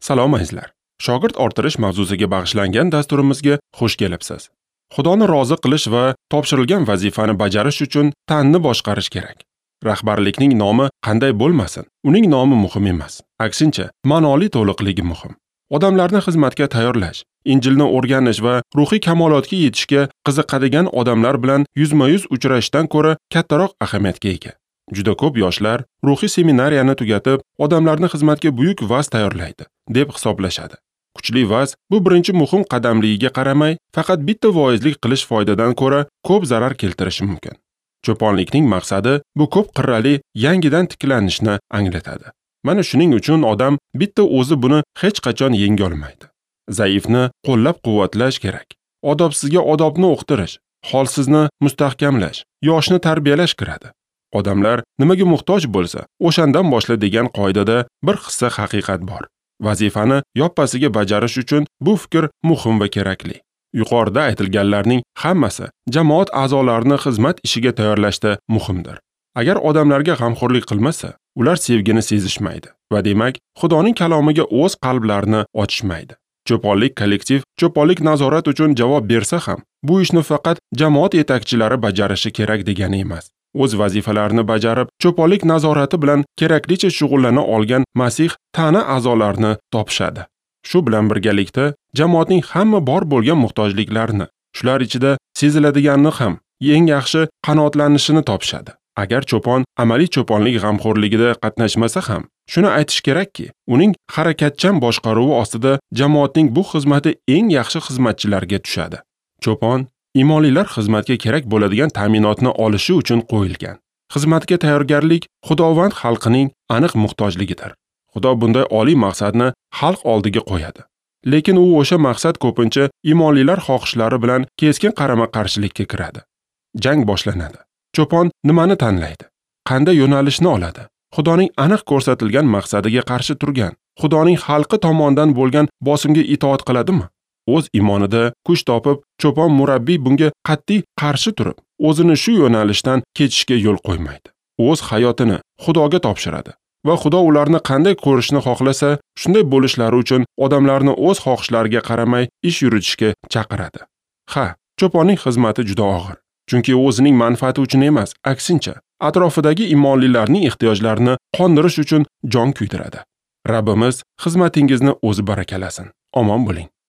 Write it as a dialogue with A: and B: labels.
A: Salom azizlar. Shogird orttirish mavzusiga bag'ishlangan dasturimizga xush kelibsiz. Xudoni rozi qilish va topshirilgan vazifani bajarish uchun tanni boshqarish kerak. Rahbarlikning nomi qanday bo'lmasin, uning nomi muhim emas. Aksincha, ma'noli to'liqligi muhim. Odamlarni xizmatga tayyorlash, Injilni o'rganish va ruhiy kamolotga yetishga qiziqadigan odamlar bilan yuzma-yuz uchrashishdan ko'ra kattaroq ahamiyatga ega. Juda ko'p yoshlar ruhiy seminariyani tugatib, odamlarni xizmatga buyuk vaz tayyorlaydi deb hisoblashadi. Kuchli vaz bu birinchi muhim qadamligiga qaramay, faqat bitta voizlik qilish foydadan ko'ra ko'p zarar keltirishi mumkin. Cho'ponlikning maqsadi bu ko'p qirrali yangidan tiklanishni anglatadi. Mana shuning uchun odam bitta o'zi buni hech qachon yenga olmaydi. Zaifni qo'llab-quvvatlash kerak. Odobsizga odobni o'qitirish, holsizni mustahkamlash, yoshni tarbiyalash kiradi. Odamlar nimaga muhtoj bo'lsa, o'shandan boshla degan qoidada bir hissa haqiqat bor. Vazifani yoppasiga bajarish uchun bu fikr muhim va kerakli. Yuqorida aytilganlarning hammasi jamoat a'zolarini xizmat ishiga tayyorlashda muhimdir. Agar odamlarga g'amxo'rlik qilmasa, ular sevgini sezishmaydi va demak, Xudoning kalomiga o'z qalblarini ochishmaydi. Cho'ponlik kollektiv cho'ponlik nazorat uchun javob bersa ham, bu ishni faqat jamoat yetakchilari bajarishi kerak degani emas. O'z vazifalarini bajarib, cho'ponlik nazorati bilan keraklicha shug'ullana olgan Masih tana a'zolarini topishadi. Shu bilan birgalikda jamoatning hamma bor bo'lgan muhtojliklarini, shular ichida seziladiganini ham eng yaxshi qanoatlanishini topishadi. Agar cho'pon amaliy cho'ponlik g'amxo'rligida qatnashmasa ham, shuni aytish kerakki, uning harakatchan boshqaruvi ostida jamoatning bu xizmati eng yaxshi xizmatchilarga tushadi. Cho'pon imonlilar xizmatga kerak bo'ladigan ta'minotni olishi uchun qo'yilgan. Xizmatga tayyorgarlik Xudovand xalqining aniq muhtojligidir. Xudo bunday oliy maqsadni xalq oldiga qo'yadi. Lekin u o'sha maqsad ko'pincha imonlilar xohishlari bilan keskin qarama-qarshilikka kiradi. Jang boshlanadi. Cho'pon nimani tanlaydi? Qanday yo'nalishni oladi? Xudoning aniq ko'rsatilgan maqsadiga qarshi turgan, Xudoning xalqi tomonidan bo'lgan bosimga itoat qiladimi? O'z imonida kuch topib, cho'pon murabbiy bunga qat'iy qarshi turib, o'zini shu yo'nalishdan ketishga yo'l qo'ymaydi. O'z hayotini Xudoga topshiradi va Xudo ularni qanday ko'rishni xohlasa, shunday bo'lishlari uchun odamlarni o'z xohishlariga qaramay ish yuritishga chaqiradi. Ha, cho'ponning xizmati juda og'ir. Chunki o'zining manfaati uchun emas, aksincha, atrofidagi imonlilarning ehtiyojlarini qondirish uchun jon kuydiradi. Rabbimiz xizmatingizni o'zi barakalasin. Omon bo'ling.